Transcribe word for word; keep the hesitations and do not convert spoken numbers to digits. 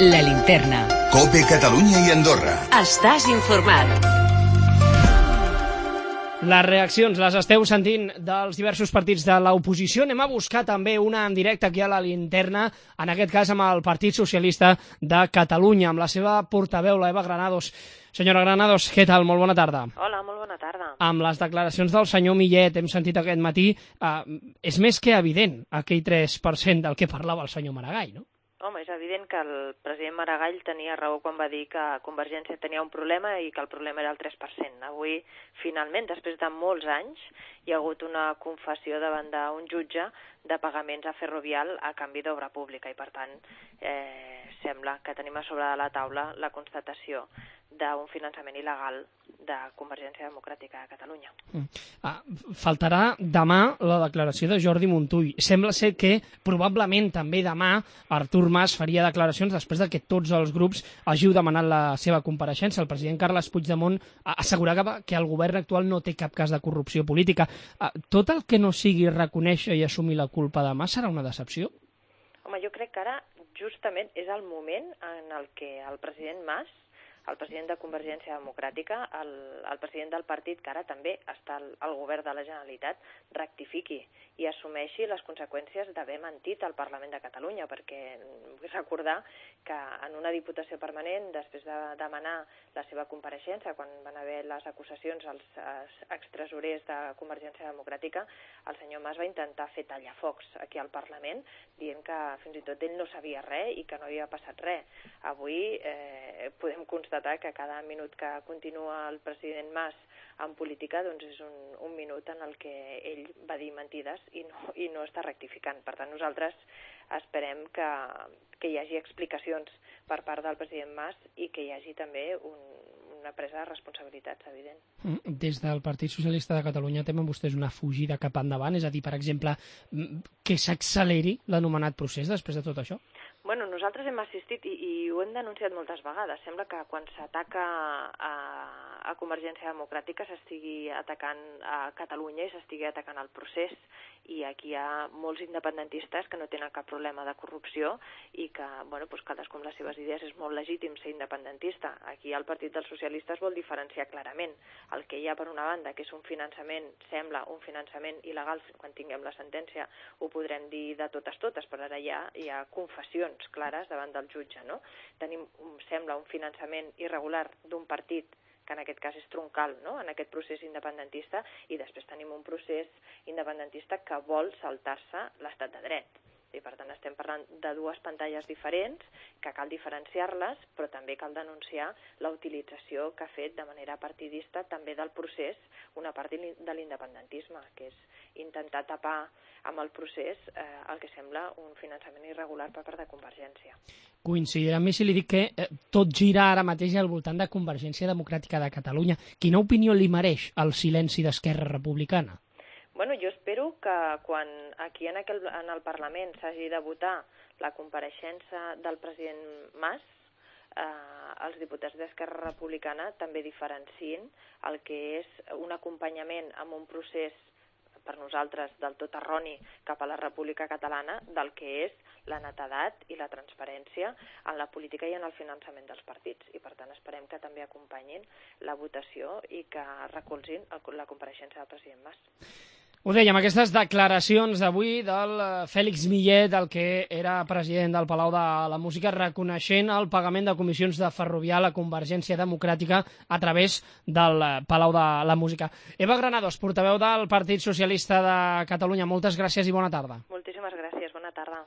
La Linterna. COPE Catalunya i Andorra. Estàs informat. Les reaccions les esteu sentint dels diversos partits de l'oposició. Anem a buscar també una en directe aquí a la Linterna, en aquest cas amb el Partit Socialista de Catalunya, amb la seva portaveu, la Eva Granados. Senyora Granados, què tal? Molt bona tarda. Hola, molt bona tarda. Amb les declaracions del senyor Millet, hem sentit aquest matí, eh, és més que evident aquell tres per cent del que parlava el senyor Maragall, no? Home, és evident que el president Maragall tenia raó quan va dir que Convergència tenia un problema i que el problema era el tres per cent. Avui, finalment, després de molts anys, hi ha hagut una confessió davant d'un jutge de pagaments a Ferrovial a canvi d'obra pública i, per tant, eh, sembla que tenim a sobre de la taula la constatació d'un finançament il·legal de Convergència Democràtica de Catalunya. Mm. Ah, faltarà demà la declaració de Jordi Montull. Sembla ser que probablement també demà Artur Mas faria declaracions després de que tots els grups hàgiu demanat la seva compareixença. El president Carles Puigdemont assegurava que el govern actual no té cap cas de corrupció política. Ah, tot el que no sigui reconèixer i assumir la culpa de Mas serà una decepció? Home, jo crec que ara justament és el moment en el que el president Mas, el president de Convergència Democràtica, el, el president del partit, que ara també està al, al govern de la Generalitat, rectifiqui i assumeixi les conseqüències d'haver mentit al Parlament de Catalunya, perquè vull recordar que en una diputació permanent, després de demanar la seva compareixença, quan van haver les acusacions als, als extresorers de Convergència Democràtica, el senyor Mas va intentar fer tallafocs aquí al Parlament, dient que fins i tot ell no sabia res i que no havia passat res. Avui eh, podem constatar que cada minut que continua el president Mas en política doncs és un, un minut en el que ell va dir mentides i no, i no està rectificant. Per tant, nosaltres esperem que, que hi hagi explicacions per part del president Mas i que hi hagi també un, una presa de responsabilitats, evident. Des del Partit Socialista de Catalunya temen vostès una fugida cap endavant? És a dir, per exemple, que s'acceleri l'anomenat procés després de tot això? Bueno, nosaltres hem assistit i, i ho hem denunciat moltes vegades. Sembla que quan s'ataca a, a Convergència Democràtica s'estigui atacant a Catalunya i s'estigui atacant el procés. I aquí hi ha molts independentistes que no tenen cap problema de corrupció i que, bueno, doncs cadascú amb les seves idees és molt legítim ser independentista. Aquí el Partit dels Socialistes vol diferenciar clarament el que hi ha per una banda, que és un finançament, sembla un finançament il·legal, quan tinguem la sentència ho podrem dir de totes totes, però ara ja hi ha confessions clares davant del jutge, no? Tenim, sembla, un finançament irregular d'un partit que en aquest cas és troncal, no?, en aquest procés independentista, i després tenim un procés independentista que vol saltar-se l'estat de dret. I per tant estem parlant de dues pantalles diferents, que cal diferenciar-les, però també cal denunciar la utilització que ha fet de manera partidista també del procés una part de l'independentisme, que és intentar tapar amb el procés eh, el que sembla un finançament irregular per part de Convergència. Coincidirà amb mi si li dic que eh, tot gira ara mateix al voltant de Convergència Democràtica de Catalunya. Quina opinió li mereix el silenci d'Esquerra Republicana? Bueno, jo espero que quan aquí en, aquel, en el Parlament s'hagi de votar la compareixença del president Mas, eh, els diputats d'Esquerra Republicana també diferencien el que és un acompanyament amb un procés per nosaltres del tot erroni cap a la República Catalana del que és la netedat i la transparència en la política i en el finançament dels partits. I per tant esperem que també acompanyin la votació i que recolzin el, la compareixença del president Mas. Ho dèiem, aquestes declaracions d'avui del Fèlix Millet, el que era president del Palau de la Música, reconeixent el pagament de comissions de Ferrovial a Convergència Democràtica a través del Palau de la Música. Eva Granados, portaveu del Partit Socialista de Catalunya, moltes gràcies i bona tarda. Moltíssimes gràcies, bona tarda.